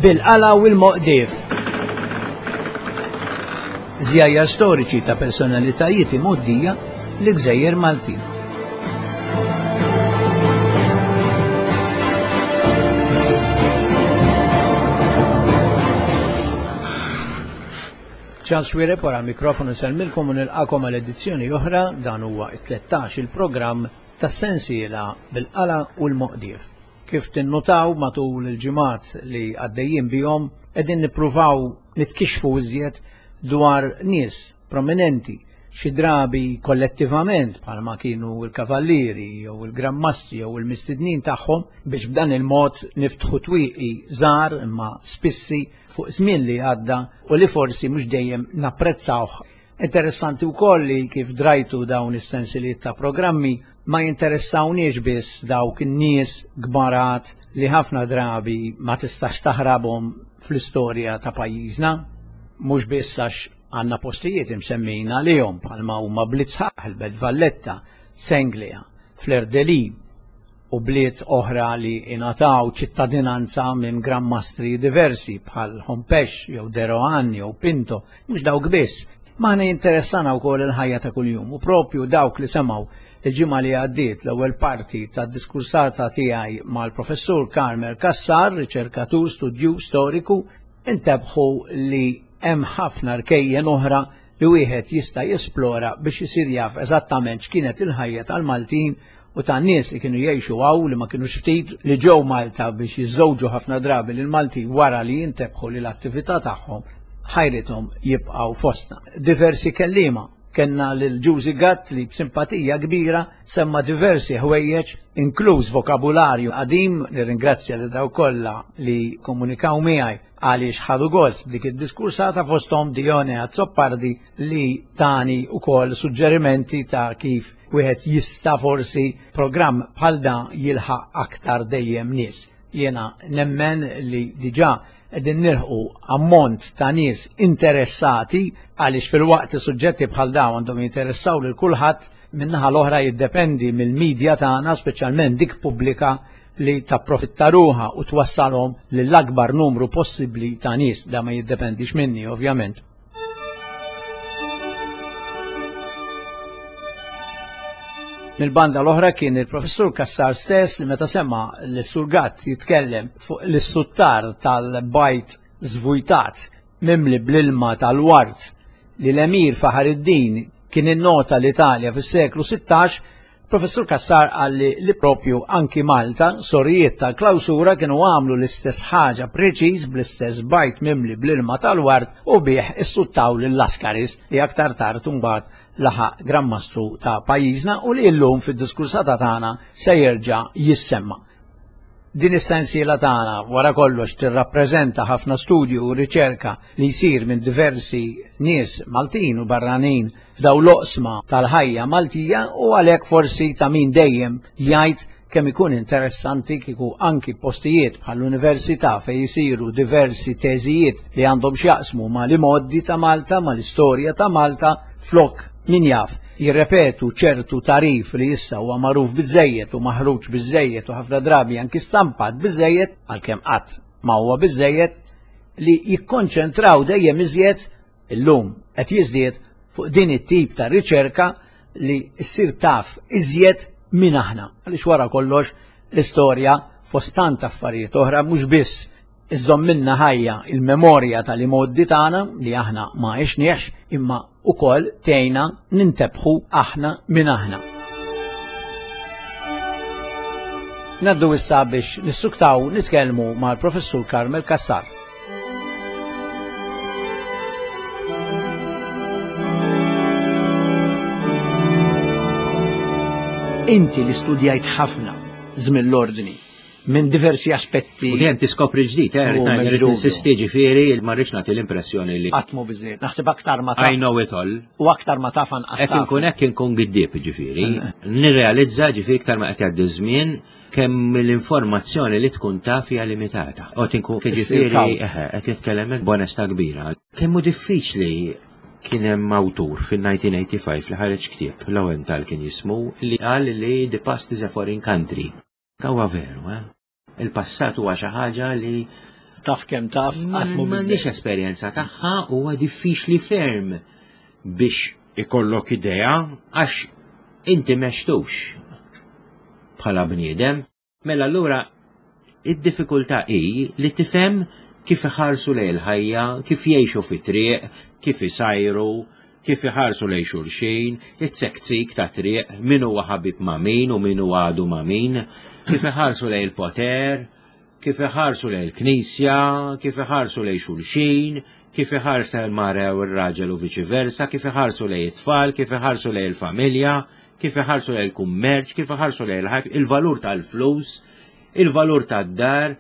Bil-qala u l-moqdief. Żjajjar storiċi ta' personalitajiet imgħoddija l-Gżejjer Maltin. Charles Xuereb wara l-mikrofonu nsellmilkom u nilqakom għal edizzjoni oħra dan huwa it-13 il-programm tas-sensiela bil-qala u l-moqdief. Kif tinnutaw matul il-ġimgħat li għaddejjin bihom qegħdin nippruvaw nitkixxfu iżjed dwar nies prominenti xi drabi kollettivament bħalma kienu l-kavallieri jew il-grammastri jew il-mistednin tagħhom biex b'dan il-mod niftħu twieqi żgħar imma spissi fuq żmien li għadda u li forsi mhux dejjem napprezzawh. Interessanti wkoll li kif drajtu dawn is-sensiliet ta' programmi ma jinteressawniex biss dawk in-nies kbarat li ħafna drabi ma tistax taħrabhom fl-istorja ta' pajjiżna, mhux biss għax għandna postijiet imsemmin għalihom bħalma huma Blitzħaħ, il-Belt Valletta, Senglea, Fleur-de-Lis u bliet oħra li ingħataw ċittadinanza minn Gran Mastri diversi bħal Hompesch jew De Rohan jew Pinto, mhux dawk biss. Maħna jinteressana wkoll il-ħajja ta' kuljum u propju dawk li semgħu il-ġimgħa li għaddiet l-ewwel parti tad-diskursata tiegħi mal-Professur Carmel Cassar, riċerkatur studju storiku, intebħu li hemm ħafna rkejjen oħra li wieħed jista' jesplora biex isir jaf eżattament x'kienet il-ħajja tal-Maltin u tan-nies li kienu jgħixu hawn li ma kinux ftit li ġew Malta biex jiżżewġu ħafna drabi lil Maltin wara li jintebħu li l-attività tagħhom ħajrithom jibqgħu fostna. Diversi kelliema kellna lil Ġużi Gatt li b'simpatija kbira semma diversi ħwejjeġ inkluż vokabularju qadim, nirringrazzja lil dawk kollha li komunikaw miegħi għaliex ħadu gost b'dik id-diskursata fosthom Dione Azzopardi li tani wkoll suġġerimenti ta' kif wieħed jista' forsi programm bħal dan jilħaq aktar dejjem nies. Jiena nemmen li diġà qegħdin nilħqu ammont ta' nies interessati għaliex filwaqt li suġġetti bħal dawn għandhom jinteressaw lil kulħadd, min-naħa l-oħra jiddependi mill-media tagħna, speċjalment dik pubblika, li tapprofitta ruħha u twassalhom lill-akbar numru possibbli ta' nies. Da ma jiddependix minni, ovvjament. Mill-banda l-oħra kien il-professur Cassar stess li meta sema l-Sur Gatt jitkellem fuq l-suttar tal-bajt żvujtat mimli bl-ilma tal-ward li l-Emir Faħar-id-Din kien innota l-Italja fis-seklu 16, Professur Cassar qal li li propju anki Malta, sorijiet tal-klawsura kienu għamlu l-istess ħaġa preċiż bl-istess bajt mimli bl-ilma tal-ward u bih issuttaw lil Lascaris li aktar tard imbagħad laħaq Gran Mastru ta' pajjiżna u li llum fid-diskursata tagħna se jerġa' jissemma. Din is-sensiela tagħna wara kollox tirrappreżenta ħafna studju u riċerka li jsir minn diversi nies Maltin u barranin f'daw l-oqsma tal-ħajja Maltija u għalhekk forsi ta' min dejjem jgħid kemm ikun interessanti kieku anki postijiet bħall-università fejn isiru diversi teżijiet li għandhom x'jaqsmu ma' l-imgħoddi ta' Malta, ma' l-istorja ta' Malta, flok min jaf jirrepetu ċertu tagħrif li issa huwa magħruf biżżejjed u maħruġ biżżejjed u ħafna drabi anki stampat biżżejjed, għalkemm qatt ma huwa biżżejjed, li jikkonċentraw dejjem iżjed illum qed jiżdied fuq din it-tip ta' riċerka li ssir taf iżjed min aħna. Għaliex wara kollox l-istorja fost tant affarijiet oħra mhux biss iżżommilna ħajja il-memorja tal-imgħoddi tagħna li aħna ma għexniex imma ukoll tgħinna nintebħu aħna min aħna. Naddu issa biex nissuktaw nitkellmu mal-Professur Carmel Cassar. Inti li studjajt ħafna żmien l-ordni minn diversi aspetti. U dejjem tiskopri ġdid, eh, rrid ninsisti ġifieri, ma rridx nagħti l-impressjoni li. Qatt mhu biżejjed, naħseb aktar ma taf. I know it all. U aktar ma taf anqas. Hekk inkun hekk inkun giddieb ġifieri. Eh. Nirrealizza ġifieri iktar ma qed jgħaddi żmien kemm l-informazzjoni li tkun taf hija limitata. U tinkun ġifieri eh, qed nitkellem hekk b'onestà kbira. Kemm hu diffiċli kien hemm awtur fil-1985 li ħareġ ktieb, Lowenthal kien jismu, li qal li the past is a foreign country. Huwa veru, eh? Il-passat huwa xi ħaġa li. Taf kemm taf, qatt mhu M'għandix esperjenza tagħha huwa diffiċli ferm biex ikollok idea għax inti m'għextux bħala bniedem. Mela allura id-diffikultà hi li tifhem kif iħarsu lejn il-ħajja, kif jgħixu fit-triq, kif isajru, kif iħarsu lejn xulxin, it-tsektsik ta' triq, min huwa ħabib ma' min u min huwa għadu ma' min, kif iħarsu lejn il-poter, kif iħarsu lejn il-knisja, kif iħarsu lejn xulxin, kif iħarsa l-mara u r-raġel u viċi versa, kif iħarsu lejn it-tfal, kif iħarsu lejn il-familja, kif iħarsu lejn il-kummerċ, kif iħarsu lejn il-ħajf, il-valur tal-flus, il-valur tad-dar,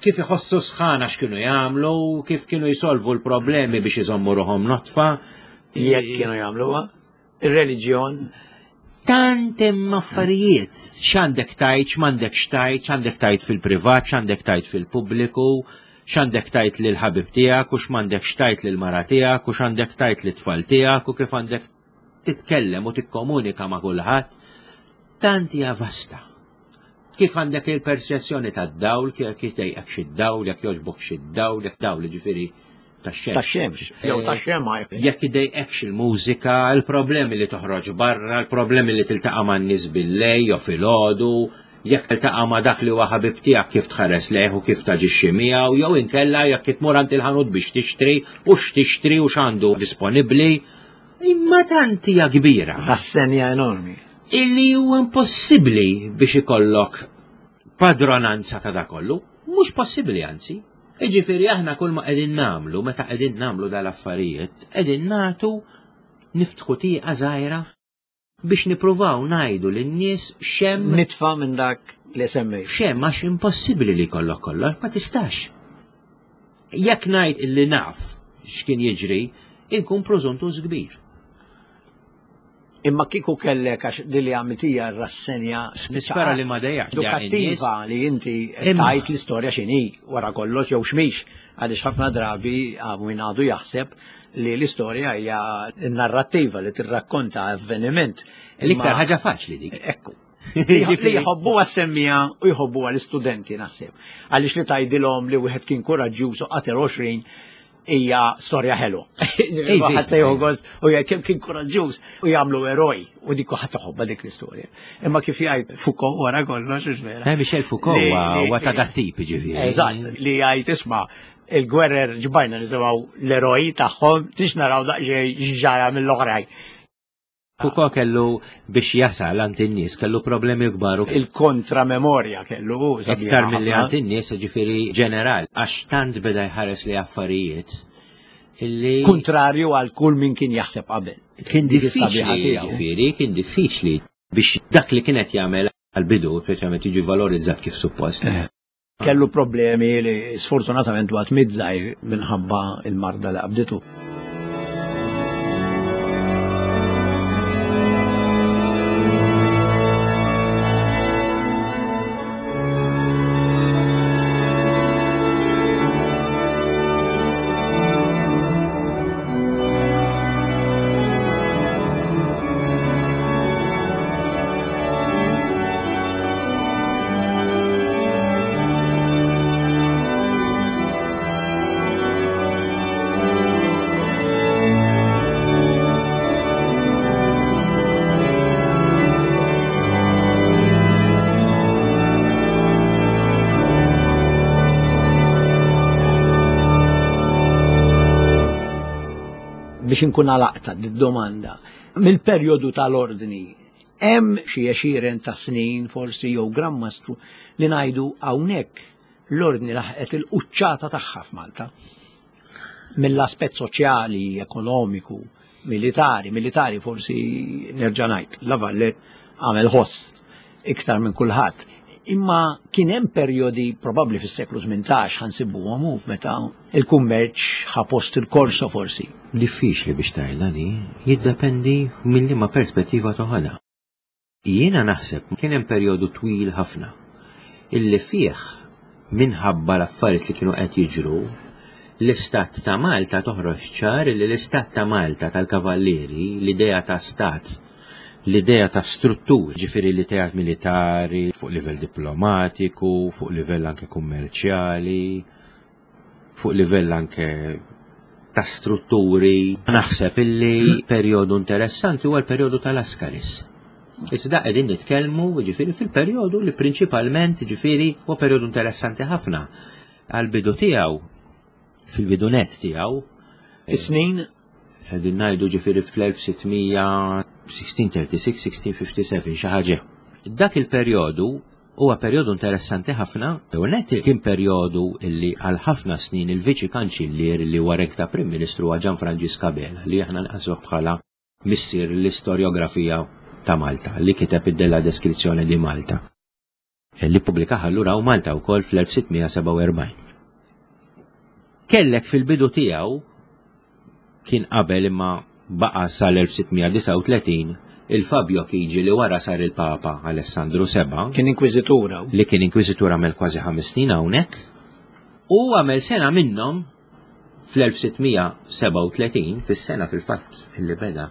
kif iħossu sħana x'kienu jagħmlu, kif kienu jsolvu l-problemi biex iżommu ruħhom notfa. Jekk kienu jagħmluha, ir-reliġjon. Tant hemm affarijiet, x'għandek tajt, x'm'għandek x'tajt, x'għandek tajt fil-privat, x'għandek tajt fil-pubbliku, x'għandek tajt lil ħabib tiegħek u x'm'għandek x'tajt lil mara tiegħek u x'għandek tajt lit-tfal tiegħek u kif għandek titkellem u tikkomunika ma' kulħadd. Tant hija vasta. Kif għandek il-perċezzjoni tad-dawl, kif jtejqek xi dawl, jekk jogħġbok xi dawl, jekk dawl ġifieri tax-xemx. Tax-xemx, jew eh, tax-xemgħa. Jekk idejqekx il-mużika, il-problemi li toħroġ barra, il-problemi li tiltaqa' man-nies billej jew filgħodu, jekk tiltaqa' ma' dak li huwa ħabib tiegħek kif tħares lejh u kif taġixxi miegħu, jew inkella jekk tmur għand il-ħanut biex tixtri u x'tixtri u x'għandu disponibbli. Imma tant hija kbira. Rassenja enormi. Illi huwa impossibbli biex ikollok padronanza ta' da kollu. Mhux possibbli anzi. Iġifieri aħna kull ma qegħdin nagħmlu meta qegħdin nagħmlu dal-affarijiet, qegħdin nagħtu niftħu tieqa żgħira biex nippruvaw ngħidu lin-nies x'hemm Nitfa' minn dak li semmejt. X'hemm għax impossibbli li jkollok kollox, ma tistax. Jekk ngħid illi naf x'kien jiġri, inkun prożuntuż kbir. Imma kieku kellek għax din li għamilt hija r-rassenja Nispera li ma dejjaqx edukattiva li inti tajt l-istorja x'inhi wara kollox jew x'mhix għaliex ħafna drabi min għadu jaħseb li l-istorja hija narrattiva li tirrakkonta avveniment. L-iktar ħaġa faċli dik. Ekku. Li jħobbu għas-semmija u jħobbu għal-istudenti naħseb. Għaliex li tgħidilhom li wieħed kien kuraġġjuż u qatel 20 hija storja ħelu. Ħadd se joħgos u jgħid kemm kien kuraġġjuż u jagħmlu eroj u dik ħadd iħobbha dik l-istorja. Imma kif jgħid Foucault wara kollox hux vera. Eh, Michel Foucault huwa ta' dat tip ġifieri. Eżatt, li jgħid isma' il-gwerer ġbajna nisimgħu l-eroj tagħhom tix naraw daqsxejn x'ġara mill-oħrajn. Foucault kellu biex jasal għand in-nies kellu problemi kbar u il-kontra memorja kellu iktar milli għand in-nies ġifieri ġeneral għax tant beda jħares li affarijiet illi kontrarju għal kull min kien jaħseb qabel. Kien diffiċli, ġifieri, kien diffiċli biex dak li kienet jagħmel għal-bidu, speċjalment jiġi valorizzat kif suppost. Eh. Kellu problemi li sfortunatament waqt mizzajr minħabba il-marda li qabditu. Biex inkun għalaqta d-domanda, mill-perjodu tal-ordni Hemm xi għexieren ta' snin forsi jew Gran Mastru li ngħidu hawnhekk l-Ordni laħqet il-quċċata tagħha f'Malta. Mill-aspett soċjali, ekonomiku, militari, militari forsi nerġa' ngħid, La Valette għamel ħoss iktar minn kulħadd. Imma kien hemm perjodi probabbli fis-seklu 18 ħansibuhom hu meta il-kummerċ ħa post il-korso forsi. Diffiċli biex tgħidha di, jiddependi minn liema perspettiva toħodha. Jiena naħseb kien hemm perjodu twil ħafna illi fih minħabba l-affarijiet li kienu qed jiġru, l-istat ta' Malta toħroġ ċar li l-istat ta' Malta tal-Kavallieri, l-idea ta' stat l-idea ta' struttur, ġifieri l-idea militari, fuq livell diplomatiku, fuq livell anke kummerċjali. Fuq livell anke ta' strutturi, naħseb illi perjodu interessanti huwa l-perjodu tal-Askaris. Iżda qegħdin nitkellmu ġifieri fil-perjodu li prinċipalment ġifieri huwa perjodu interessanti ħafna. Għal-bidu tiegħu, fil-bidu net tiegħu. Is-snin? Qegħdin ngħidu ġifieri fl-1636, 1657 xi ħaġa. Dak il-perjodu Huwa perjodu interessanti ħafna, u net kien perjodu li għal ħafna snin il-Viċi Kanċillier li huwa rek ta' Prim Ministru huwa Ġan Franġisk Abela li aħna nqasuh bħala missier l-istorjografija ta' Malta li kiteb id-Della Deskrizzjoni di Malta li ppubblikaha allura u Malta wkoll fl-1647. Kellek fil-bidu tiegħu kien qabel imma baqa' sal-1639 il-Fabio Chigi li wara sar il-Papa Alessandru VII. Kien inkwiżitur hawn. Li kien inkwiżitur għamel kważi ħames snin hawnhekk. U għamel sena minnhom fl-1637, fis-sena fil-fatt li beda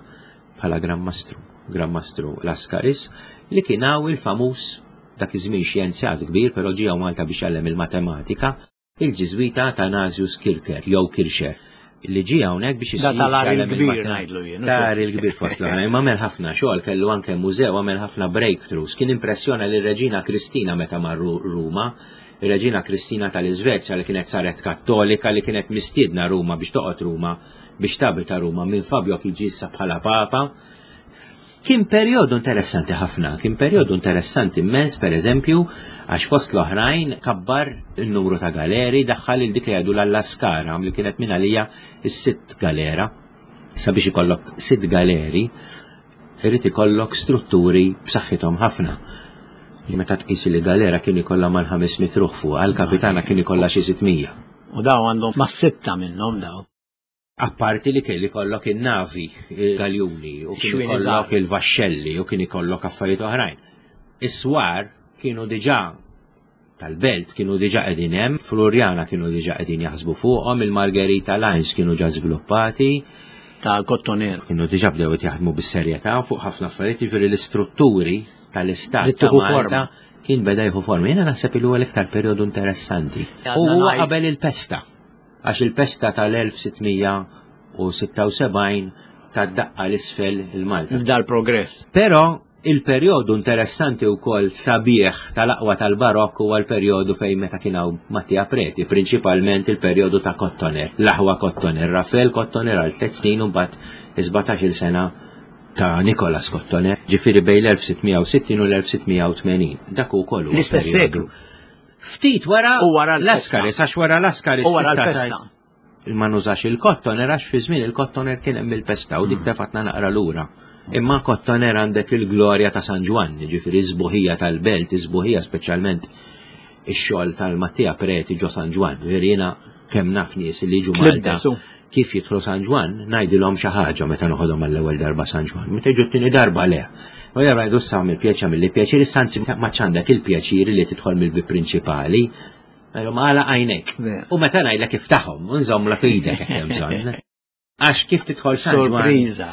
bħala Gran Mastru, Gran Mastru Lascaris, li kien hawn il-famuż dak iż-żmien xjenzjat kbir, però ġie hawn Malta biex jgħallem il-matematika, Il-Ġiżwita Athanasius Kircher jew Kircher li ġie hawnhekk biex isir tal il-kbir ngħidlu jien. Tar il-kbir fost l-oħrajn, imma għamel ħafna xogħol, kellu anke mużew, għamel ħafna breakthroughs. Kien impressjona lir-Reġina Kristina meta marru Ruma, ir-Reġina Kristina tal-Iżvezja li kienet saret Kattolika li kienet mistiedna Ruma biex toqgħod Ruma biex tabita Ruma minn Fabio kien ġie issa bħala Papa. Kien perjodu interessanti ħafna, kien perjodu interessanti immens, per eżempju, għax fost l-oħrajn kabbar il-numru ta' galeri, daħħal il dik li għadu l-Allaskara, li kienet minn għalija s-sitt galera. Sabiex ikollok sitt galeri, irid ikollok strutturi b'saħħithom ħafna. Li meta tqis li galera kien ikollha mal-500 ruħ fuq, għal-kapitana kien ikollha xi 600. U daw għandhom ma' sitta minnhom daw. Apparti li kelli kollok in-navi, il-galjuni, u kien ikollok il-vaxxelli, u kien ikollok affarijiet oħrajn. Is-swar kienu diġà tal-belt kienu diġà qegħdin hemm, Floriana kienu diġà qegħdin jaħsbu fuqhom, il-Margherita Lines kienu ġa żviluppati. Ta' Kottoner. Kienu diġà bdew jaħdmu bis-serjetà fuq ħafna affarijiet, jiġifieri l-istrutturi tal-istat ta' Malta kien beda jieħu forma. Jiena naħseb li huwa l-iktar perjodu interessanti. U huwa qabel il-pesta. Għax il-pesta tal-1676 tat daqqa 'l isfel il-Malta. F'dal-progress. Però il-perjodu interessanti wkoll sabiħ tal-aqwa tal-Barokk huwa l-perjodu fejn meta kien hawn Mattia Preti, prinċipalment il-perjodu ta' Kottoner, l-aħwa Kottoner, Raffael Kottoner għal tliet snin u mbagħad is-17-il sena ta' Nicolas Kottoner, ġifieri bejn l-1660 u l-1680. Dak ukoll huwa L-istess seklu. Ftit wara U wara l-pesta. Laskaris, għax wara Laskaris. U wara tista' l-pesta. tgħid Ma nużax il-kottoner għax fi żmien il-kottoner kien hemm il-pesta u dik hmm. tefatna naqra lura. Imma kottoner għandek il-glorja ta' San Ġwann, ġifieri żbuħija tal-belt, iżbuħija speċjalment ix-xogħol tal-Mattia Preti ġo San Ġwann. Ġifieri jiena kemm naf nies li jiġu Malta kif jidħlu San Ġwann, ngħidilhom xi ħaġa meta noħodhom għall-ewwel darba San Ġwann. Meta jiġu t-tieni darba le. U darba jgħidu sa mill-pjaċa mill-pjaċir, issa anzi ma għandek il-pjaċir li tidħol mill-bib prinċipali. Ngħidhom għala għajnejk. U meta ngħidlek iftaħhom, u nżommlok idek hekk hemm bżonn. Għax kif tidħol San Ġwann. Sorpriża.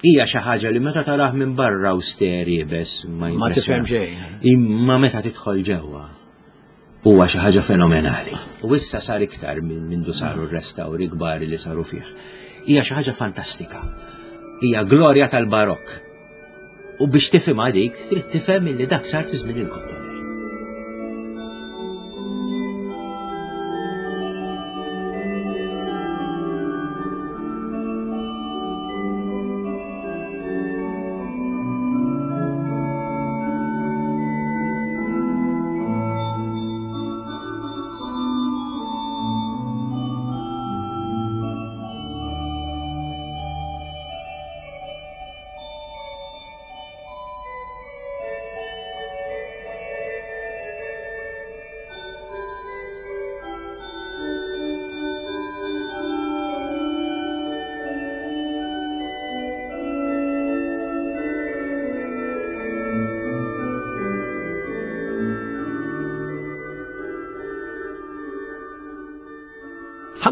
Hija xi ħaġa li meta tarah minn barra awster iebes ma Ma tifhem xejn. Imma meta tidħol ġewwa huwa xi ħaġa fenomenali. U issa sar iktar minn mindu saru r-restawri kbar li saru fih. Hija xi ħaġa fantastika. Hija glorja tal-barokk. U biex tifhimha dik, trid tifhem illi dak sar fi żmien il-Kottoner.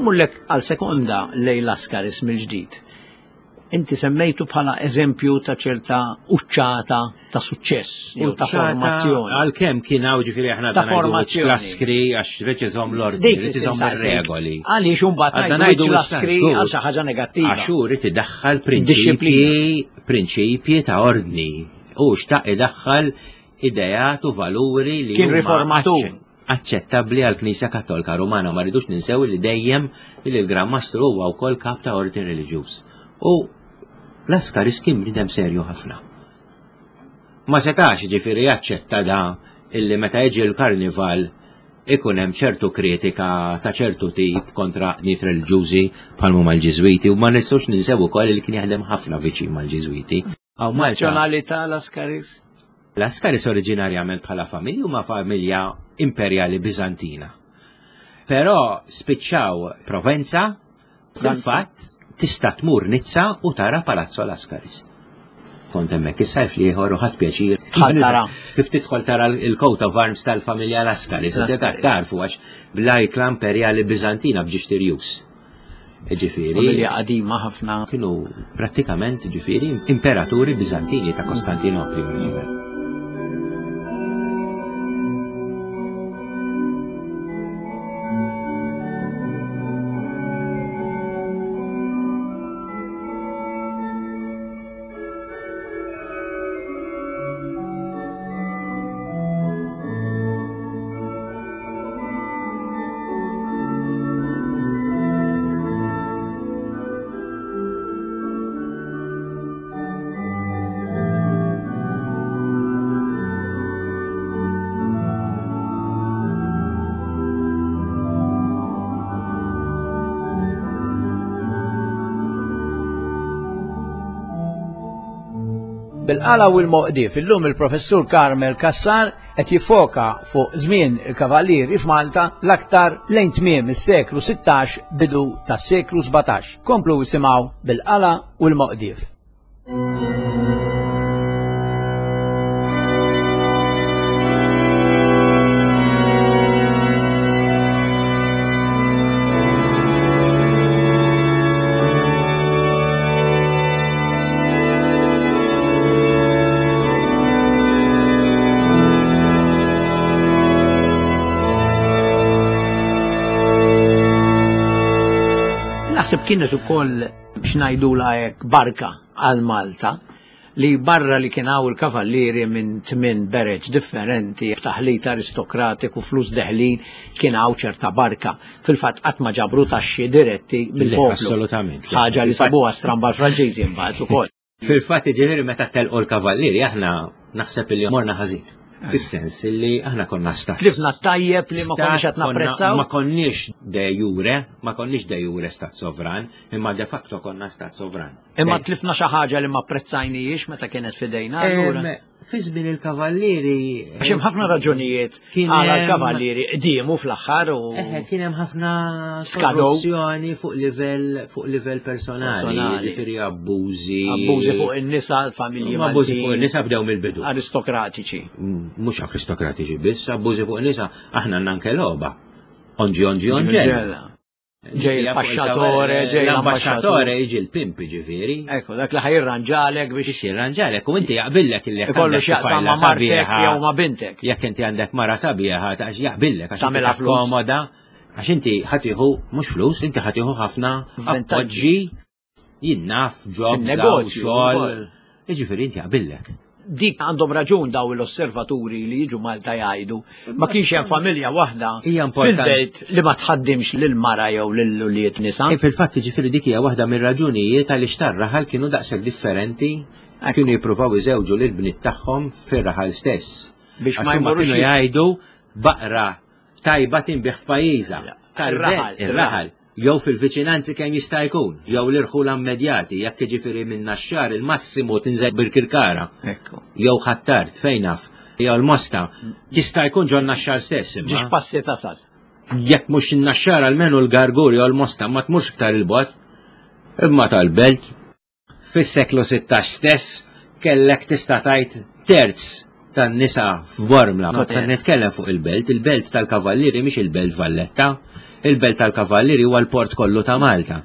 Ħammurlek għal sekonda lejn Laskaris mill-ġdid. Inti semmejtu bħala eżempju ta' ċerta uċċata ta' suċċess jew ta' formazzjoni. Għalkemm kien hawn ġifieri aħna ta' formazzjoni. Laskri għax rrid iżomm l-ordni, rrid iżomm ir-regoli. Għaliex imbagħad ngħidu laskri għal xi ħaġa negattiva. Għax hu rrid idaħħal prinċipji prinċipji ta' ordni. U xtaq idaħħal ideat u valuri li kien riformatur aċċettabbli għal Knisja Kattolika Rumana ma rridux ninsew li dejjem li l-Gran Mastru huwa wkoll kap ta' ordni reliġjuż. U Laskaris kien bniedem serju ħafna. Ma setax ġifieri jaċċetta da illi meta jiġi l-karnival ikun hemm ċertu kritika ta' ċertu tip kontra niet reliġjużi bħal huma l-Ġiżwiti u ma nistgħux ninsew ukoll li kien jaħdem ħafna viċin mal-Ġiżwiti. Nazzjonalità Laskaris? Laskaris oriġinarjament bħala familja huma familja imperjali Biżantina. Però spiċċaw Provenza, fil-fatt tista' tmur Nizza u tara Palazzo Laskaris. Kont hemmhekk is-sajf li ieħor u ħadd pjaċir. Tara. Kif tidħol tara l-coat of arms tal-familja Laskaris, tarfu għax bl-ajkla imperjali Biżantina b'ġiex tirjus. Ġifieri. Familja qadima ħafna. Kienu prattikament ġifieri imperaturi Biżantini ta' Kostantinopli oriġinali. Bil-qala u l-moqdif, illum il-professur Carmel Cassar qed jiffoka fuq żmien il-Kavallieri f'Malta l-aktar lejn tmiem is-seklu 16 bidu tas-seklu 17. Komplu isimgħu bil-qala u l-moqdif. Naħseb kienet ukoll biex ngħidulha hekk barka għal Malta li barra li kien hawn il-kavallieri minn tmien bereġ differenti b'taħlit aristokratiku flus deħlin kien hawn ċerta barka. Fil-fatt qatt ma ġabru taxxi diretti mill-poplu. Assolutament. Ħaġa li sabuha stramba l-Franċiżi mbagħad ukoll. Fil-fatt ġifieri meta telqu l-kavallieri aħna naħseb li morna ħażin. Fis-sens li aħna konna stat. Tlifna tajjeb li ma konniex qed napprezzaw. Ma konniex de jure, ma konniex de jure stat sovran, imma de facto konna stat sovran. Imma tlifna xi ħaġa li ma apprezzajnijiex meta kienet fidejna allura. Fi żmien il-kavallieri. Għax hemm ħafna raġunijiet għala l-kavallieri qdiemu fl-aħħar u. Eħe, kien hemm ħafna korruzzjoni fuq livell fuq livell personali, jiġifieri abbużi. Abbużi fuq in-nisa, l-familji. Abbużi fuq in-nisa bdew mill-bidu. Aristokratiċi. Mhux aristokratiċi biss, abbużi fuq in-nisa, aħna għandna anke logħba. Onġi onġi onġella. Ġej il-paxxatore, ġej l-ambasċatore, jiġi l-pimp ġifieri. Ekku, dak li ħajirranġalek biex. Biex jirranġalek u inti jaqbillek illi Ikollu x'jaqsam ma' martek jew ma' bintek. Jekk inti għandek mara sabiħa ta' jaqbillek għax tagħmilha komoda. Għax inti ħatiħu mhux flus, inti ħatiħu ħafna appoġġi Jien naf jobs, Fin-negozju xogħol. wkoll. Jiġifieri inti jaqbillek. Dik għandhom raġun daw l-osservaturi li jiġu Malta jgħidu ma kienx hemm familja waħda Hija importanti. fil-belt li ma tħaddimx lil mara jew lil ulied nisa. E fil-fatt jiġifieri dik hija waħda mir-raġunijiet għaliex tar-raħal kienu daqshekk differenti kienu jippruvaw iżewġu lil bniet tagħhom fir-raħal stess. Biex Għax ma huma jmorrux kienu jgħidu baqra tajba tinbiegħ f'pajjiżha. Ir-raħal, Ir-raħal. Jew fil-viċinanzi kemm jista' jkun, jew l-irħula immedjati, jekk jiġifieri minn Naxxar il-massimu tinżel Birkirkara. Ekku. Jew Ħ'Attard, fejn naf, jew l-Mosta. Jista' jkun ġo Naxxar stess imma. Ġiex passi tasal. Jekk mhux in-Naxxar almenu l-Gargur jew l-Mosta ma tmurx iktar 'il bogħod. Imma tal-belt, fis-seklu 16 stess kellek tista' tgħid terz tan-nisa f'Bormla. Meta nitkellem fuq il-belt, il-belt tal-Kavallieri mhix il-belt Valletta, il-belt tal-Kavallieri huwa l-port kollu ta' Malta.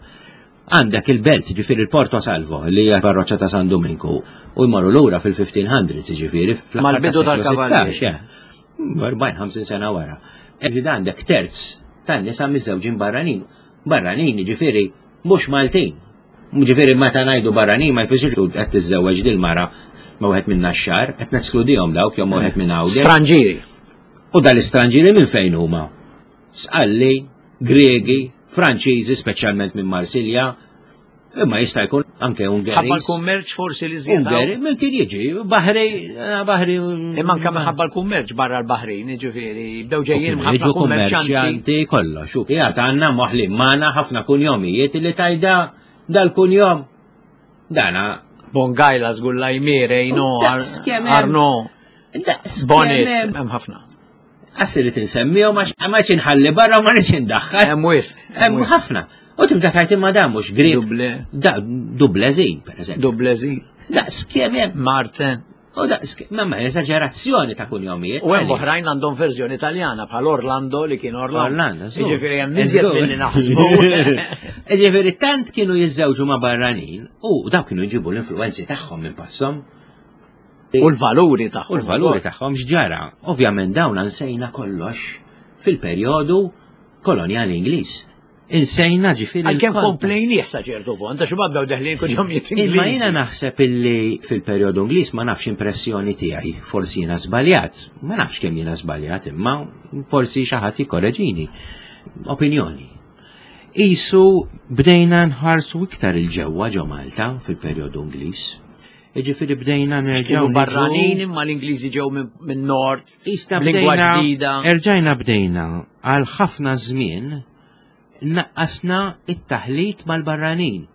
Għandek il-belt, ġifieri il-Porto Salvo, li hija parroċċa ta' San Dominku, u jmorru lura fil-1500s, ġifieri fl-bidu tal-kavallieri. 40-50 sena wara. Ġifieri għandek terz tan-nisa miżżewġin barranin. Barranin, ġifieri mhux Maltin. Ġifieri meta ngħidu barranin ma jfissirx qed tiżżewweġ dil-mara ma wieħed minn Naxxar, qed neskludihom dawk jew ma wieħed minn Għawdex. Stranġieri. U dal-istranġieri minn fejn huma? Sqalli, Gregi, Franċiżi, speċjalment minn Marsilja, imma jista' jkun anke Ungeris. Ħabba l-kummerċ forsi li żied. Ungeri, minn kien jiġi, Baħri, eh, Baħri. Imma anke minħabba l-kummerċ barra l-Baħrin, jiġifieri, bdew ġejjin ħafna kummerċanti. Kollox, u qiegħed għandna moħli magħna ħafna kunjomijiet li tajda dal-kunjom. Dana. Bongajla żgur Lajmire, Jno, Arno. Bonnet, hemm ħafna. Għas irrid insemmihom għax ma rridx inħalli barra u ma rridx indaħħal. Hemm wisq. Hemm ħafna. U tibda tajt imma dan mhux Grek. Duble. Da Dublezin, pereżempju. Dublezin. Daqs kemm hemm. Martin. U daqs ma ma eżaġerazzjoni ta' kunjomijiet. U hemm oħrajn għandhom verżjoni Taljana bħal Orlando li kien Orlando. Orlando. Jiġifieri hemm iżjed milli naħsbu. Jiġifieri tant kienu jiżżewġu ma' barranin u dawk kienu jġibu l-influenzi tagħhom minn passom. U l-valuri tagħhom. U l-valuri tagħhom x'ġara. Ovvjament dawn nsejna kollox fil-perjodu kolonjali Ingliż. Insejna ġifieri. Għalkemm komplejnieh sa ċertu punt, għax imbagħad bdew deħlin kull jum Imma jiena naħseb illi fil-perjodu Ingliż ma nafx impressjoni tiegħi, forsi jiena żbaljat, ma nafx kemm jiena żbaljat, imma forsi xi ħadd jikkoreġini. Opinjoni. Isu bdejna nħarsu iktar il-ġewwa ġo Malta fil-perjodu Ingliż. Jiġifieri bdejna nerġgħu barranin imma l-Ingliżi ġew minn nord. Ista b'lingwa ġdida. Erġajna bdejna għal ħafna żmien naqqasna it-taħlit mal-barranin.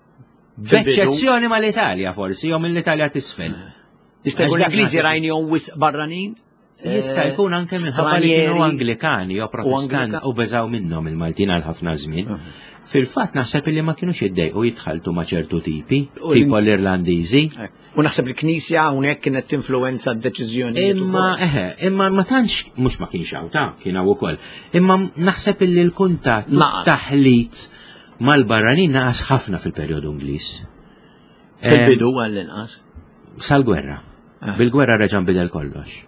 B'eċċezzjoni mal-Italja forsi, jew mill-Italja t'isfel. Jista' jkun l-Ingliżi rajnihom wisq barranin? Jista' eh, jkun anke minħabba li kienu Anglikani jew Protestant u beżaw minnhom il-Maltin għal ħafna żmien. Fil-fatt naħseb li ma kinux jiddejqu jitħaltu ma' ċertu tipi, tipo l-Irlandiżi. Eh, u naħseb il-Knisja hawnhekk kienet tinfluwenza d-deċiżjoni. Imma eħe, imma ma tantx mhux ma kienx hawn ta' kien hawn ukoll. Imma naħseb li l-kuntatt taħlit mal-barranin naqas ħafna fil-perjodu Ingliż. Fil-bidu għall-inqas. Sal-gwerra. Ah. Bil-gwerra reġa' nbidel kollox.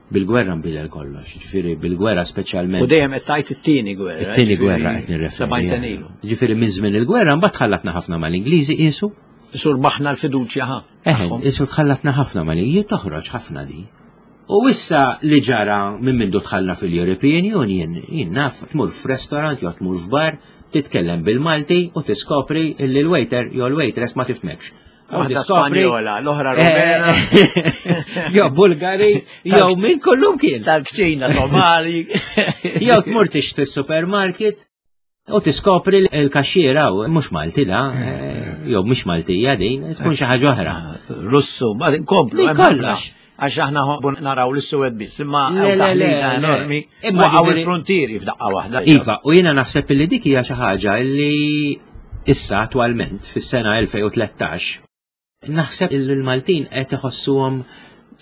Bil-gwerra nbidel kollox, ġifieri bil-gwerra speċjalment. U dejjem qed tgħid it-tieni gwerra. It-tieni gwerra qed nirreferi. 70 sena ilu. Ġifieri minn żmien il-gwerra mbagħad tħallatna ħafna mal-Ingliżi qisu. Sur baħna l-fiduċja ħa. Eħe, qisu tħallatna ħafna mal-Ingliżi, toħroġ ħafna di. U issa li ġara minn mindu tħalla fil-European Union, jien naf tmur f'restaurant jew tmur f'bar, titkellem bil-Malti u tiskopri li l-waiter jew l-waitress ma tifhmekx. Waħda Spanjola, l-oħra eh, Rumena. Jew Bulgari, jew minn kullum kien. Tal-kċina Somali. Jew tmur tixtri supermarket u tiskopri l-kaxxiera u mhux Malti da, eh, jew mhux Maltija din, tkun xi ħaġa oħra. Russu, ma nkomplu. Kollox. Għax aħna naraw l-suwed biss, imma enormi. Imma għaw il-frontieri f'daqqa waħda. Iva, u jiena naħseb li dik hija xi ħaġa li issa attwalment fis-sena 2013 naħseb li l-Maltin qed iħossuhom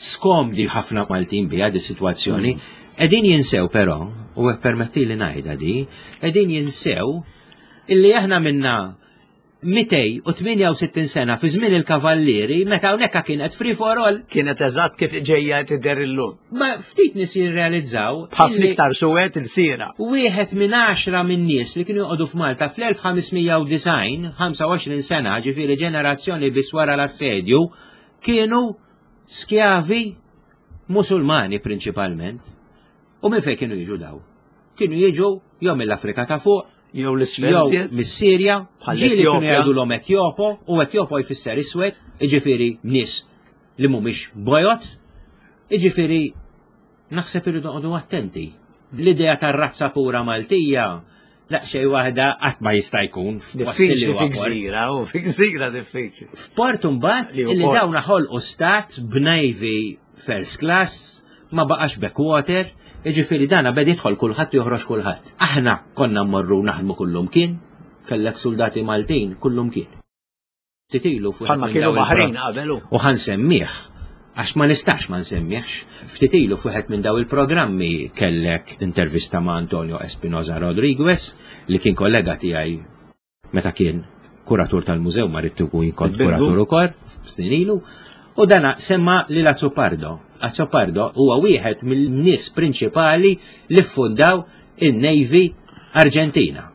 skomdi ħafna Maltin biha di sitwazzjoni. Mm. Qegħdin jinsew però, u hekk permetti li ngħidha di, qegħdin jinsew illi aħna minna 268 sena fi żmien il-Kavallieri meta hawnhekk kienet free for all. Kienet eżatt kif ġejja tidher illum. Ma ftit nies jirrealizzaw. B'ħafna iktar suwed il-sira. Wieħed minn għaxra minn nies li kienu joqogħdu f'Malta fl-1590, 25 sena, ġifieri ġenerazzjoni biss wara l-assedju, kienu skjavi Musulmani prinċipalment. U minn fejn kienu jiġu daw? Kienu jiġu jew mill-Afrika ta' fuq, jew l-isfel, jew mis-Sirja, ġieli kienu jgħidulhom Etjopo, u Etjopo jfisser iswed, jiġifieri nies li mhumiex bojod, jiġifieri naħseb irridu noqogħdu attenti. L-idea tar-razza pura Maltija daqsxejn waħda qatt ma jista' jkun. Diffiċli fi gżira, u fi gżira diffiċli. F'port imbagħad li dawn ħolqu stat b'navy first class, ma baqax backwater, jiġifieri dana beda jidħol kulħadd u joħroġ kulħadd. Aħna konna mmorru naħdmu kullumkien, kellek suldati Maltin kullumkien. Ftit ilu fuq. Bħalma kienu baħrin qabel. U ħa nsemmih, għax ma nistax ma nsemmihx. Ftit ilu f'wieħed minn daw il-programmi kellek intervista ma' Antonio Espinosa Rodriguez li kien kollega tiegħi meta kien kuratur tal-mużew ma rrid ikun kont kuratur ukoll snin ilu, u dana semma lil Azzopardo. Azzopardo huwa wieħed mill-nies prinċipali li ffundaw in-Navy Arġentina.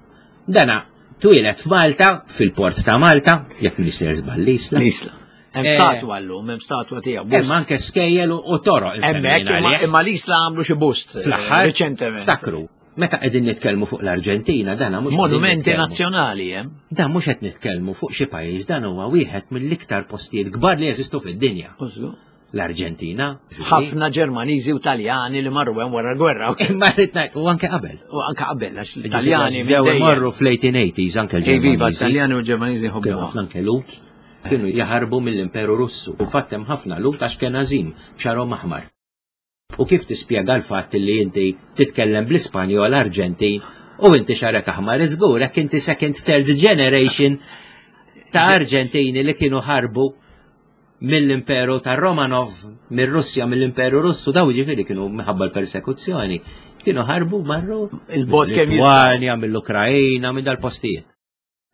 Dana twieled f'Malta, fil-port ta' Malta, jekk nisir żball l-Isla. L-Isla. Hemm eh, statwa llum, hemm statwa tiegħu. Hemm anke skejjel u toroq. Hemmhekk imma l-Isla għamlu xi bust eh, fl-aħħar riċentement. Ftakru, meta qegħdin nitkellmu fuq l-Arġentina dan mhux Monumenti nazzjonali hemm. Dan mhux qed nitkellmu fuq xi pajjiż dan huwa wieħed mill-iktar postijiet kbar li jeżistu fid-dinja. L-Arġentina. Ħafna Ġermaniżi u Taljani li marru hemm wara l-gwerra. Imma rrid ngħid u anke qabel. U anke qabel għax l-Taljani bdew marru fl-1880s anke l-Ġermaniżi. Iva, Taljani u Ġermaniżi ħobbu. Ħafna anke Lut kienu jaħarbu mill-Imperu Russu. U fatt hemm ħafna Lut għax kien għażim b'xarhom aħmar. U kif tispjega l-fatt li inti titkellem bl-Ispanjol Arġentin u inti xarek aħmar iżgur hekk inti second third generation ta' Arġentini li kienu ħarbu mill-Imperu ta' Romanov, mir-Russja, mill-Imperu Russu, daw ġifieri kienu minħabba l-persekuzzjoni, kienu ħarbu marru il-bot kemm jistgħu mill-Ukrajna, minn dal-postijiet.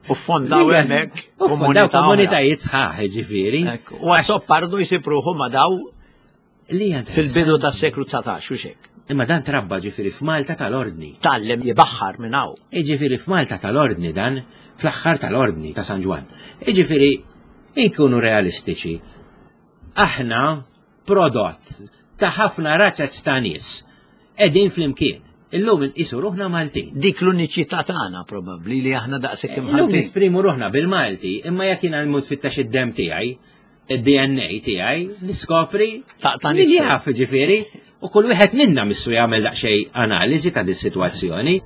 U fondaw hemmhekk komunitajiet sħaħ ġifieri. U għasoppardu jsib ruħu ma daw li fil-bidu tas-seklu 19 u xek. Imma dan trabba ġifieri f'Malta tal-Ordni. Tallem jibaħħar minn hawn. Iġifieri f'Malta tal-Ordni dan, fl-aħħar tal-Ordni ta' San Ġwann. Iġifieri inkunu realistiċi. Aħna prodott ta' ħafna razzez ta' nies qegħdin flimkien. Illum inqisu ruħna Maltin. Dik l-uniċità tagħna probabbli li aħna daqshekk imħaltin. Illum nisprimu ruħna bil-Malti, imma jekk jiena nmut fittax id-dem tiegħi, id-DNA tiegħi, niskopri min jaf ġifieri, u kull wieħed minna missu jagħmel daqsxejn analiżi ta' dis-sitwazzjoni.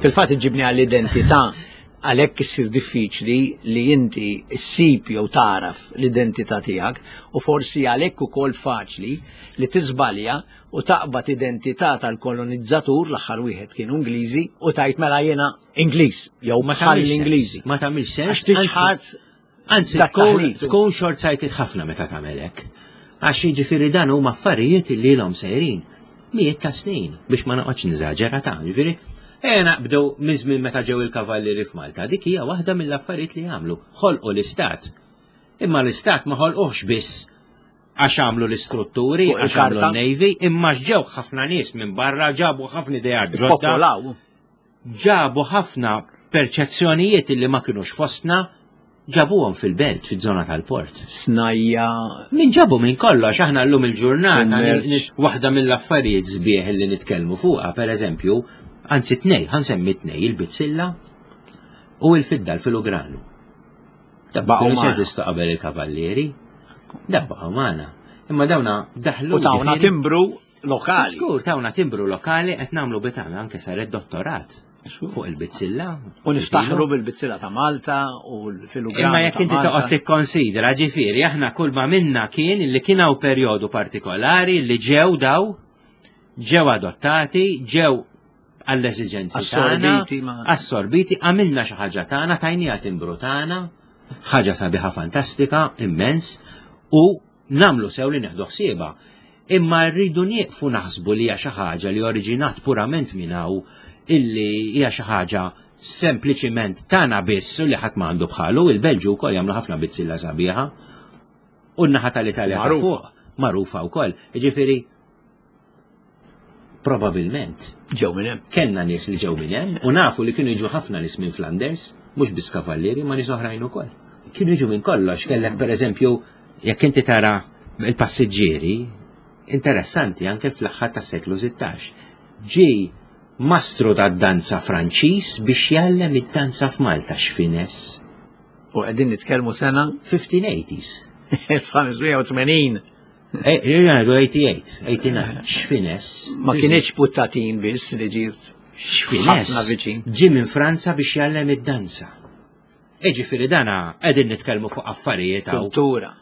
Fil-fatt iġibni għall-identità għalhekk issir diffiċli li inti ssib jew tagħraf l-identità tiegħek u forsi għalhekk ukoll faċli li tiżbalja u taqbad identità tal-kolonizzatur l-aħħar wieħed kienu Ingliżi u tgħid mela jiena Ingliż jew Ma bħal tagħmilx sens. Ingliżi. Ma tagħmilx sens. Għax tiċħad Anzi, dak tkun, taħlit. tkun short-sighted ħafna meta tagħmel hekk. Għax jiġifieri dan huma affarijiet li ilhom sejrin mijiet ta' snin biex ma noqgħodx niżaġera ta' jiġifieri. Ejja naqbdu minn żmien meta ġew il-kavallieri f'Malta, dik hija waħda mill-affarijiet li għamlu. Ħolqu l-istat. Imma l-istat ma ħolquhx biss għax għamlu l-istrutturi, Fuq għax għamlu il-karta. l-Navy, imma ġew ħafna nies minn barra, ġabu ħafna ideat ġodda Popolaw. ġabu ħafna perċezzjonijiet li ma kinux fostna, ġabuhom fil-belt, fiż-żona tal-port. Snajja. Min ġabu minn kollox, aħna llum il-ġurnata, Kummerċ. waħda mill-affarijiet sbieħ li nitkellmu fuqha, per eżempju, anzi tnej, ħansemmi tnej, il-bizzilla u il-fidda, l-filugranu. Da Baqgħu kienu magħna. jeżistu qabel il-kavallieri, da baqgħu magħna. Imma dawna daħlu U tawna ġifieri- timbru lokali. Skur, tawna timbru lokali qed nagħmlu bitana anke saret dottorat fuq il-bizzilla. U niftaħru bil-bizzilla ta' Malta u l-filugranu. Imma jekk ta' inti Malta. toqgħod tikkonsidra ġifieri aħna kull ma minna kien li kien hawn perjodu partikolari li ġew daw ġew adottati, ġew għall-eżiġenzi tagħna, Assorbiti ma- assorbiti, għamilna xi ħaġa tagħna, tajnija timbru tagħna, ħaġa sabiħa fantastika, immens, u namlu sew li neħdu ħsiebha. Imma rridu nieqfu naħsbu li hija xi ħaġa li oriġinat purament minn hawn. illi hija xi ħaġa sempliċiment tagħna biss u li ħadd ma għandu bħalu, il-Belġu wkoll jagħmlu ħafna bizzilla sabiħa. U n-naħa tal-Italja ta' fuq magħrufa wkoll. Jiġifieri probabilment ġew minn hemm. Kellna nies li ġew minn hemm u nafu li kienu jiġu ħafna nies minn Flanders, mhux biss kavallieri ma nies oħrajn ukoll. Kienu jiġu minn kollox, kellek pereżempju jekk inti tara il-passiġġieri interessanti anke fl-aħħar tas-seklu 16. Ġi mastru tad-danza Franċiż biex jgħallem id-danza f'Malta x'fines. U qegħdin nitkellmu sena 1580s. 1580. Jgħidu 88, 89, x'fines. Ma kienieċ puttatin biss li ġiet. X'fines. Ġi minn Franza biex jgħallem id-danza. Iġifieri dana qegħdin nitkellmu fuq affarijiet Kultura.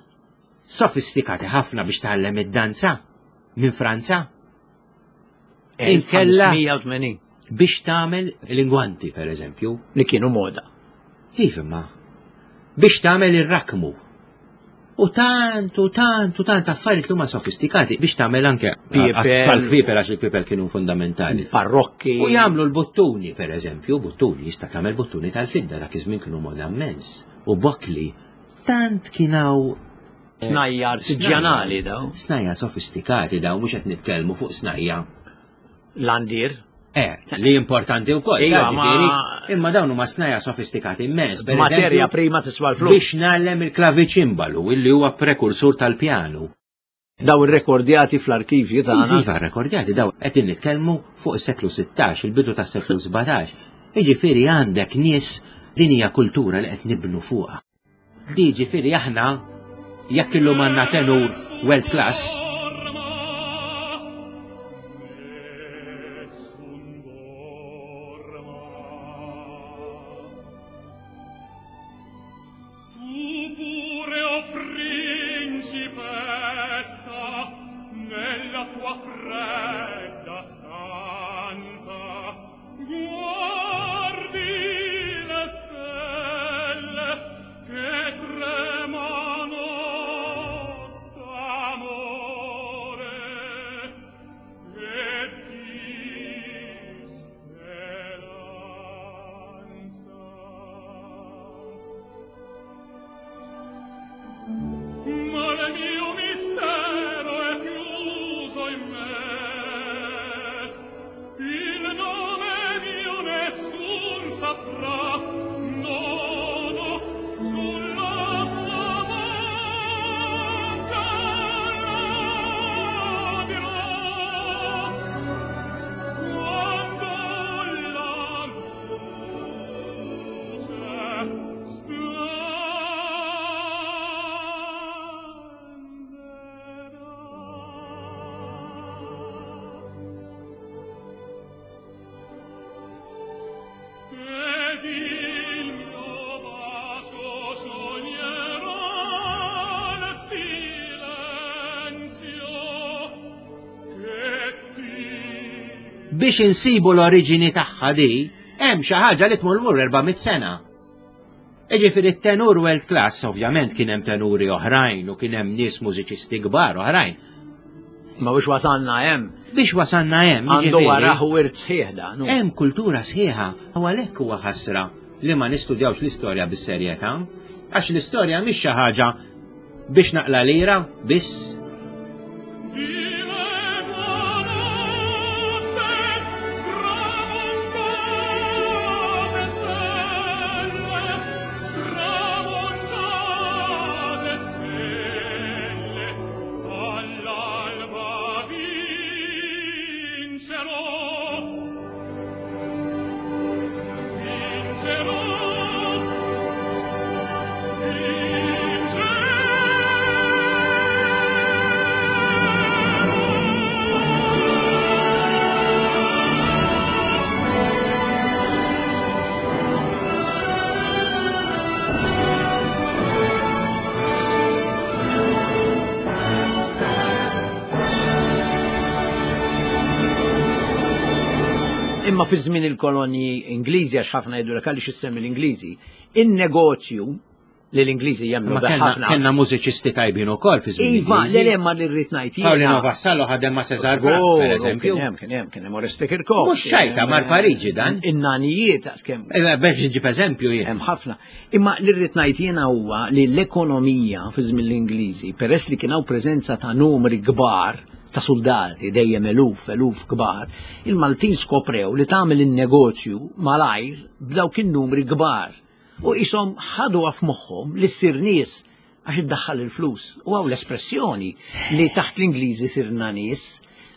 Sofistikati ħafna biex tgħallem id-danza minn Franza. Inkella 1580. Biex tagħmel l-ingwanti, per eżempju. Li kienu moda. Iva ma. Biex tagħmel ir-rakmu. U tant, u tant, u tant affarijiet li huma sofistikati biex tagħmel anke tal-kpipel għax il-kpipel kienu fundamentali. Parrokki. U jagħmlu l-buttuni, per eżempju, buttuni, jista' tagħmel buttuni tal-fidda dak iż-żmien kienu moda immens. U bokli tant kien hawn Snajja artiġjanali daw. Snajja sofistikati daw, mhux qed nitkellmu fuq snajja. Landir. Eh, li importanti wkoll. Iva, ma... Imma dawn huma snajja sofistikati immens. Materja prima tiswa l-flus. Biex nagħlem il-klaviċimbalu, illi huwa prekursur tal-pjanu. Daw irrekordjati fl-arkivji tagħna. Iva, rekordjati daw qed nitkellmu fuq is-seklu 16, il-bidu tas-seklu 17. Jiġifieri għandek nies din hija kultura li qed nibnu fuqha. Di ġifieri aħna jekk illum għandna tenur world class, Biex insibu l-oriġini tagħha di, hemm xi ħaġa li tmur lura 400 sena. Jiġifieri t-tenur world class, ovvjament kien hemm tenuri oħrajn u kien hemm nies mużiċisti kbar oħrajn. Ma biex wasalna hemm. Biex wasalna hemm. Għandu wara wirt sħiħ dan. Hemm kultura sħiħa u għalhekk huwa ħasra li ma nistudjawx l-istorja bis-serjetà, għax l-istorja mhix xi ħaġa biex naqla lira biss. Imma fi żmien il-kolonji Ingliżi għax ħafna jgħidu għaliex issemmi l-Ingliżi, in-negozju Li l-Ingliżi jemmnu ħafna. Kellna mużiċisti tajbin ukoll fi żmien. Iva, le le ma li rrid ngħid. Paolino Vassallo ħadem ma' Cesar Franck, per eżempju. Kien hemm, kien hemm, kien hemm Oreste Kirkop. Mhux xajta mar Pariġi dan. In-nanijiet kemm. Iva, biex ġib eżempju jien. Hemm ħafna. Imma li rrid ngħid jiena huwa li l-ekonomija fi żmien l-Ingliżi, peress li kien hawn preżenza ta' numri kbar ta' soldati dejjem eluf, eluf kbar, il-Maltin skoprew li tagħmel in-negozju malajr b'dawk in-numri kbar. U qishom ħaduha f'moħħhom li ssir nies għax iddaħħal il-flus. U hawn l-espressjoni li taħt l-Ingliżi sirna nies,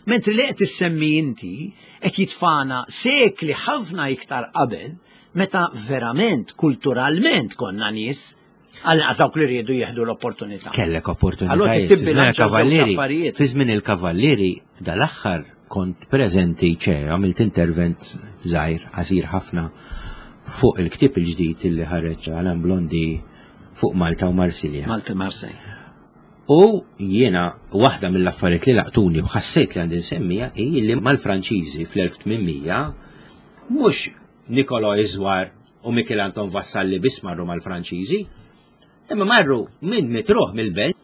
mentri li qed issemmi inti qed jitfana sekli ħafna iktar qabel meta verament kulturalment konna nies għal dawk li riedu jieħdu l-opportunità. Kellek opportunità. Allora tibbilanċa Fi żmien il-kavallieri dal-aħħar kont preżenti ċe għamilt intervent żgħir qasir ħafna fuq il-ktieb il-ġdid li ħareġ Alan Blondi fuq Malta u Marsilja. Malta Marsilja. U jiena waħda mill-affarijiet li laqtuni u ħassejt li għandi nsemmija hi li mal-Franċiżi fl-1800 mhux Nicolò Iżwar u Michel Anton Vassalli biss marru mal-Franċiżi, imma marru minn mitruħ mill-belt.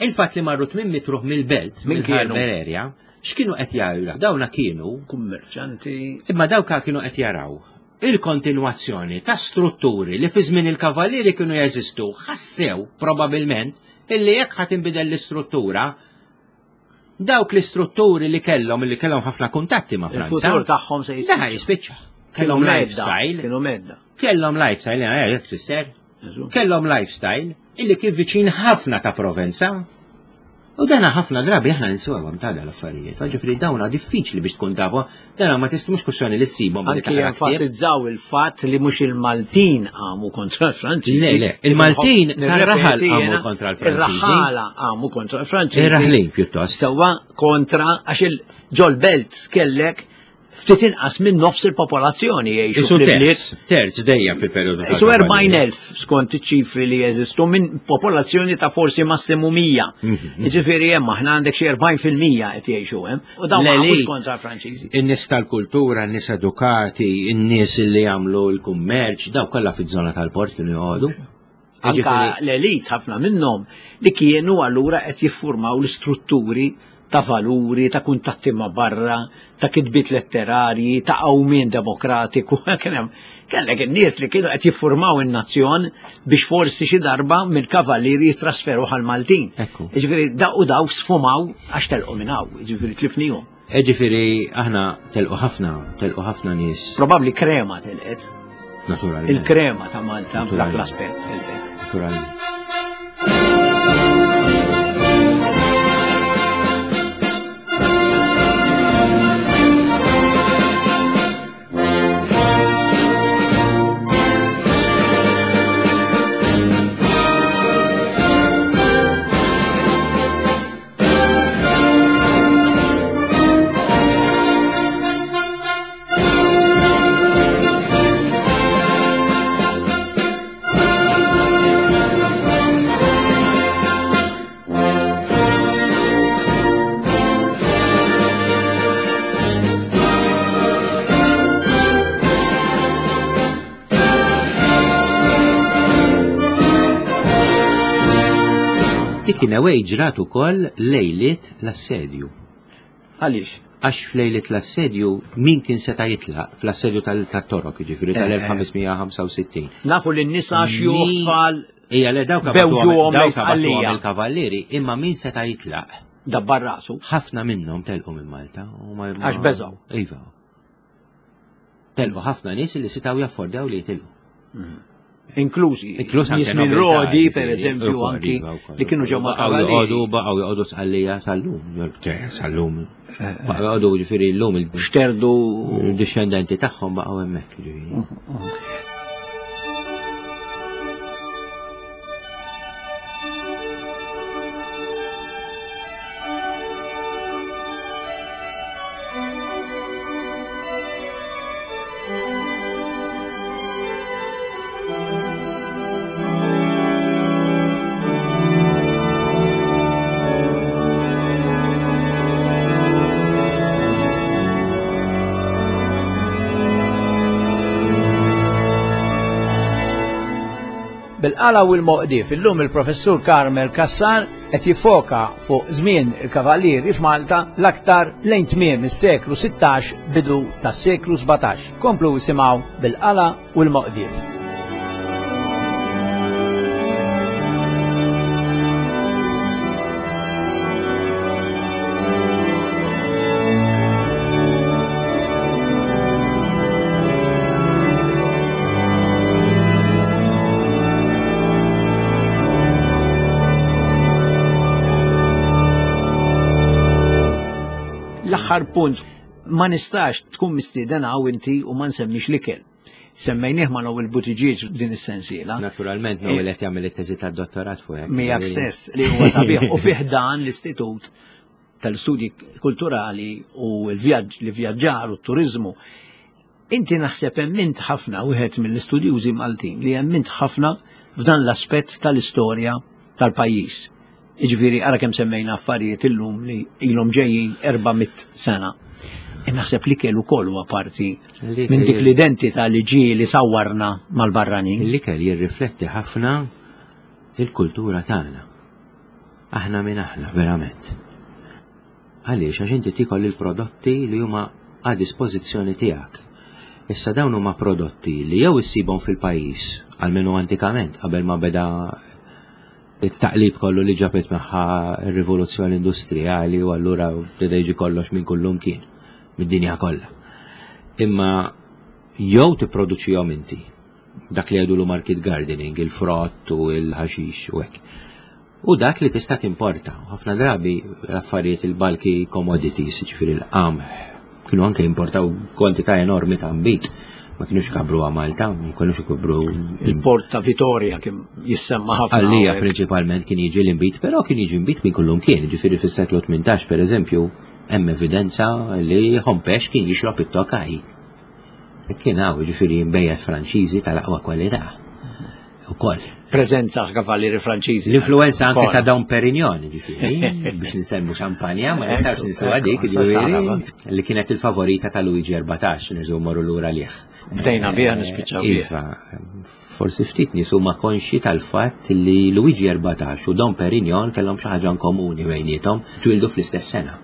Il-fatt li marru tmien mitruħ mill-belt, Min kienu? mill-Harbor area, x'kienu qed jaraw? Dawna kienu Kummerċanti. Imma dawka kienu qed jaraw il-kontinwazzjoni ta' strutturi li fi żmien il-kavallieri kienu jeżistu, ħassew probabilment illi jekk ħa tinbidel l-istruttura, dawk l-istrutturi li kellhom li kellhom ħafna kuntatti ma' Franza. Il-futur tagħhom se jispiċċa. jispiċċa. Kellhom lifestyle. Kienu medda. Kellhom lifestyle, eh, jekk tfisser. Kellhom lifestyle illi kien viċin ħafna ta' Provenza. U dana ħafna drabi aħna ninsewhom ta' l-affarijiet. Ġifieri dawna diffiċli biex tkun tafu, dana ma tista' mhux kwestjoni li ssibhom. Anki jenfasizzaw il-fatt li mhux il-Maltin qamu kontra l-Franċiżi. Le, le, il-Maltin tar-raħal qamu kontra l-Franċiżi. Ir-raħala qamu kontra l-Franċiżi. Ir-raħlin pjuttost. Sewwa kontra għax il-ġol belt kellek ftit inqas minn nofs il-popolazzjoni jgħixu fl-ibliet. Terz dejjem fil-perjodu. Isu 40,000 skont iċ-ċifri li jeżistu minn popolazzjoni ta' forsi massimu 100. Mhm. Jiġifieri hemm aħna għandek xi 40% qed jgħixu hemm. U dawn mhux kontra l-Franċiżi. In-nies tal-kultura, in-nies edukati, in-nies li jagħmlu l-kummerċ, daw kollha fiż-żona tal-port kienu joqogħdu. Anka l-elit ħafna minnhom li kienu allura qed jiffurmaw l-istrutturi ta' valuri, ta' kuntatti ma' barra, ta' kitbiet letterarji, ta' qawmien demokratiku. Kien hemm kellek in-nies li kienu qed jiffurmaw in-nazzjon biex forsi xi darba mill-kavallieri jitrasferu għal Maltin. Jiġifieri daw u daw sfumaw għax telqu minn hawn, jiġifieri tlifnihom. Ġifieri aħna telqu ħafna, telqu ħafna nies. Probabbli krema telqet. Naturalment. Il-krema ta' Malta f'dak l-aspett telqet. Naturalment. Dik in a way ġrat ukoll lejliet l-assedju. Għaliex? Għax f'lejliet l-assedju min kien seta' jitlaq fl-assedju tal-Torok, jiġifieri tal-1565. Nafu li n-nisa xjuħ tfal Ija le dawk bewġuhom lejn il-kavallieri, imma min seta' jitlaq? Dabbar rasu. Ħafna minnhom telqu minn Malta. Għax beżgħu. Iva. Telqu ħafna nies li setgħu jaffordjaw li jitilqu. Mm. Inklużi. Inkluż nies minn Rodi, per eżempju, anki iva, li kienu ġew ma' joqogħdu baqgħu joqogħdu sqallija sal-lum, sal-lum. Eh, eh. Baqgħu joqogħdu ġifieri llum il-xterdu il-dixxendenti tagħhom baqgħu hemmhekk ġifieri. Mm, mm. Bil-qala u l-moqdief illum il-Professur Carmel Cassar qed jiffoka fuq żmien il-Kavallieri f'Malta l-aktar lejn tmiem is-seklu 16 bidu tas-seklu 17. Komplu isimgħu Bil-qala u l-moqdief. L-aħħar punt, ma nistax tkun mistieden hawn inti u ma nsemmix l-ikel. Semmejnieh ma' Noel Buttigieg din is-sensiela. Naturalment Noel qed jagħmel it-teżi tad-dottorat fuq hekk. Miegħek stess li huwa sabiħ u fih dan l-istitut tal-istudji kulturali u l-vjaġġ li vjaġġar u t-turiżmu. Inti naħseb emmint ħafna wieħed mill-istudjużi Maltin li emmint ħafna f'dan l-aspett tal-istorja tal-pajjiż. Jiġifieri ara kemm semmejna affarijiet illum li ilhom ġejjin 400 sena. E naħseb li kellu ukoll huwa parti minn dik l-identità li ġie li sawwarna mal-barranin. L-ikel jirrifletti ħafna il-kultura tagħna. Aħna min aħna verament. Għaliex? Għax inti tiekol il-prodotti li huma a dispożizzjoni tiegħek. Issa dawn huma prodotti li jew issibhom fil-pajjiż, almenu antikament, qabel ma beda it-taqlib kollu li ġabet magħha r-rivoluzzjoni industrijali u allura beda jiġi kollox minn kullum kien, mid-dinja kollha. Imma jew tipproduċihom inti, dak li jgħidulu market gardening, il-frott u l-ħaxix u hekk. U dak li tista' timporta. Ħafna drabi l-affarijiet il-bulky commodities, ġifieri l-qamħ, kienu anke jimportaw kwantità enormi ta' nbid. Ma kienux kabru Malta, ma kienux ikabru. Il-port ta' Vitoria kien jissemma ħafna. Għalija prinċipalment kien jiġi l-inbid, però kien jiġi nbid minn kullum kien, ġifieri fis-seklu 18 pereżempju, hemm evidenza li Hompex kien jixrob it-tokaj. Kien hawn ġifieri nbejjed Franċiżi tal-aqwa kwalità. Ukoll. Preżenza kavallieri Franċiżi. L-influenza anke ta' Dom Perignon, ġifieri, biex nsemmu xampanja, ma nistax ninsuha dik, ġifieri, li kienet il-favorita ta' Luigi 14, nerġgħu morru lura lih. Bdejna biha nispiċċaw biha. Iva, forsi ftit nies huma konxji tal-fatt li Luigi 14 u Dom Perignon kellhom xi ħaġa komuni bejniethom, twildu fl-istess sena.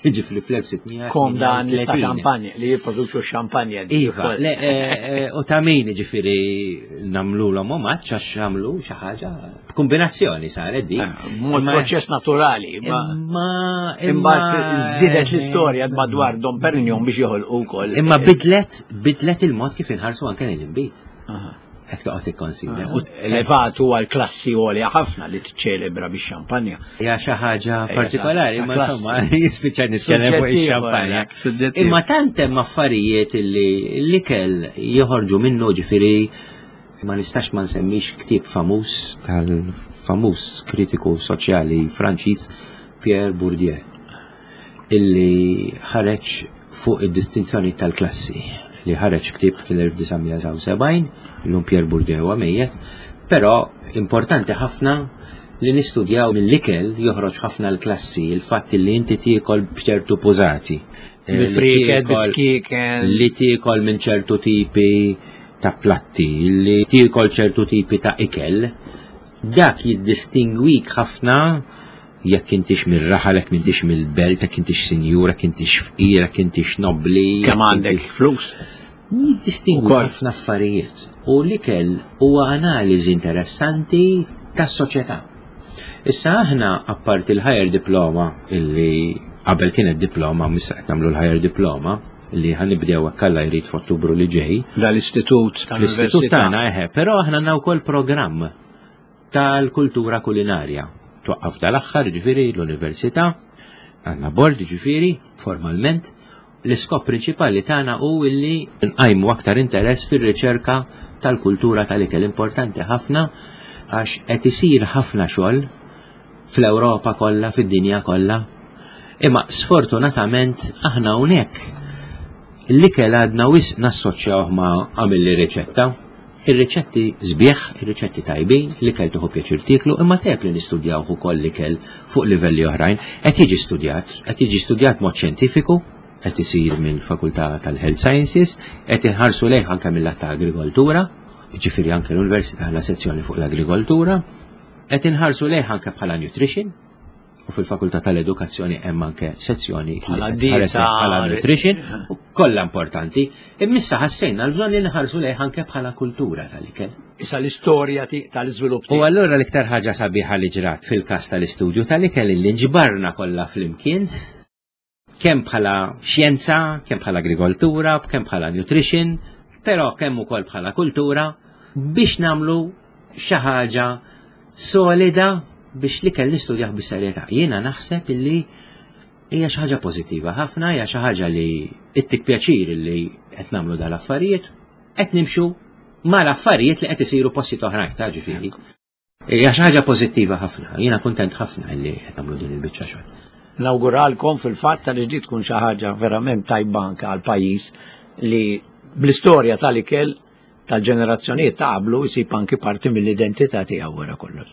Ġifri fl-1600. Kom dan lista xampanja li jipproduċu xampanja. Iva, le, eh, eh, u ta' min ġifiri namlu l omaġġ għax għamlu xi ħaġa kombinazzjoni saret di. Eh, mod proċess naturali. Ma imbagħad żdiedet l-istorja madwar Dom Perignon biex joħolqu wkoll. Imma bidlet bidlet il-mod kif inħarsu anke l-inbid. Hekk toqgħod tikkonsidra. U elevat huwa l-klassi għolja ħafna li tiċċelebra bix-xampanja. Hija xi ħaġa partikolari, ma insomma, jispiċċa nitkellem fuq ix-xampanja. Imma tant hemm affarijiet li l-ikel joħorġu minnu ġifieri ma nistax ma nsemmix ktieb famuż tal-famuż kritiku soċjali Franċiż Pierre Bourdieu illi ħareġ fuq id-distinzjoni tal-klassi li ħareġ ktieb fil-1979, illum Pierre Bourdieu huwa mejjet, però importanti ħafna li nistudjaw mill-ikel joħroġ ħafna l-klassi, il-fatt li inti tiekol b'ċertu pużati. Eh, Bil-friket, biskiken. Li tiekol minn ċertu tipi ta' platti, li tiekol ċertu tipi ta' ikel, dak jiddistingwik ħafna jekk intix mir-raħal, jekk m'intix mill-belt, jekk intix sinjur, jekk intix fqir, jekk intix nobbli. Kemm għandek flus? Jiddistingwi ħafna affarijiet. U l-ikel huwa analiżi interessanti tas-soċjetà. Issa aħna apparti l-higher diploma illi qabel kienet diploma, missa qed nagħmlu l-higher diploma li ħanibdew hekk Alla jrid f'Ottubru li ġej. Dal-istitut tal-Istitut tagħna eħe, però aħna għandna wkoll programm tal-kultura kulinarja. Twaqqaf dal-aħħar, ġifieri l-università, għandna bord ġifieri formalment, l-iskop prinċipali tagħna hu illi nqajmu aktar interess fir-riċerka tal-kultura tal-ikel importanti ħafna għax qed isir ħafna xogħol fl-Ewropa kollha, fid-dinja kollha. Imma sfortunatament aħna hawnhekk l-ikel għadna wisq nassoċjawh ma' għamilli riċetta. Ir-riċetti sbieħ, ir-riċetti tajbin, l-ikel tieħu pjaċir tieklu, imma tajjeb li nistudjawh ukoll l-ikel fuq livelli oħrajn. Qed jiġi studjat, qed jiġi studjat mod xjentifiku, qed isir mill-Fakultà tal-Health Sciences, qed inħarsu lejh anke mill-lat ta' agrikoltura. Ġifieri anke l-Università għandha sezzjoni fuq l-agrikoltura, qed inħarsu lejh anke bħala nutrition, u fil-Fakultà tal-Edukazzjoni hemm anke sezzjoni bħala dieta, bħala nutrition, u kollha importanti. Immissa ħassejna l-bżonn li nħarsu lejh anke bħala kultura tal-ikel. Issa l-istorja tal-iżvilupp. U allura l-iktar ħaġa sabiħa li ġrat fil-każ tal-istudju tal-ikel li nġbarna kollha flimkien kemm bħala xjenza, kemm bħala agrikoltura, kemm bħala nutrition, però kemm ukoll bħala kultura biex namlu xi ħaġa solida biex li kell nistudjah bis-serjetà. Jiena naħseb illi hija xi ħaġa pożittiva ħafna, hija xi ħaġa li ittik pjaċir li qed nagħmlu dal-affarijiet, qed nimxu mal-affarijiet li qed isiru postijiet oħrajn ta' ġifieri. Hija xi ħaġa pożittiva ħafna, jiena kuntent ħafna li qed nagħmlu din il-biċċa xogħol. Nawguralkom fil-fatt għaliex di tkun xi ħaġa verament tajba anke għall-pajjiż li bl-istorja tal-ikel tal-ġenerazzjonijiet ta' qablu jsib anki parti mill-identità tiegħu wara kollox.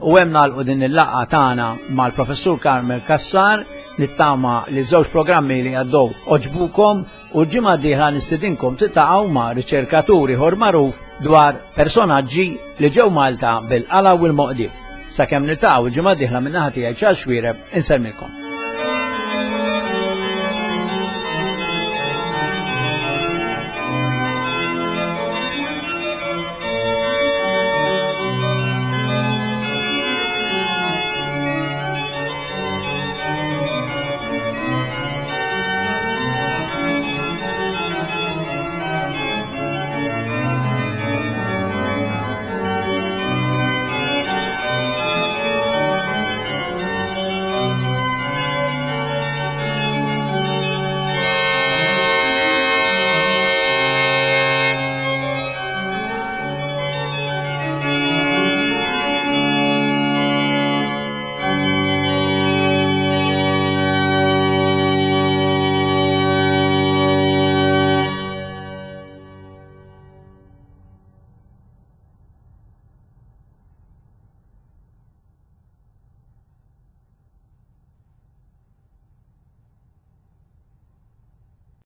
U hemm nagħlqu din il-laqgħa tagħna mal-Professur Carmel Cassar, nittama li żewġ programmi li għaddew oġbukom u l-ġimgħa d-dieħla nistidinkom tiltaqgħu ma' riċerkatur ieħor magħruf dwar personaġġi li ġew Malta bil-qala u l-moqdif. Sakemm niltaqgħu l-ġimgħa d-dieħla min-naħa tiegħi Charles Xuereb insellmilkom.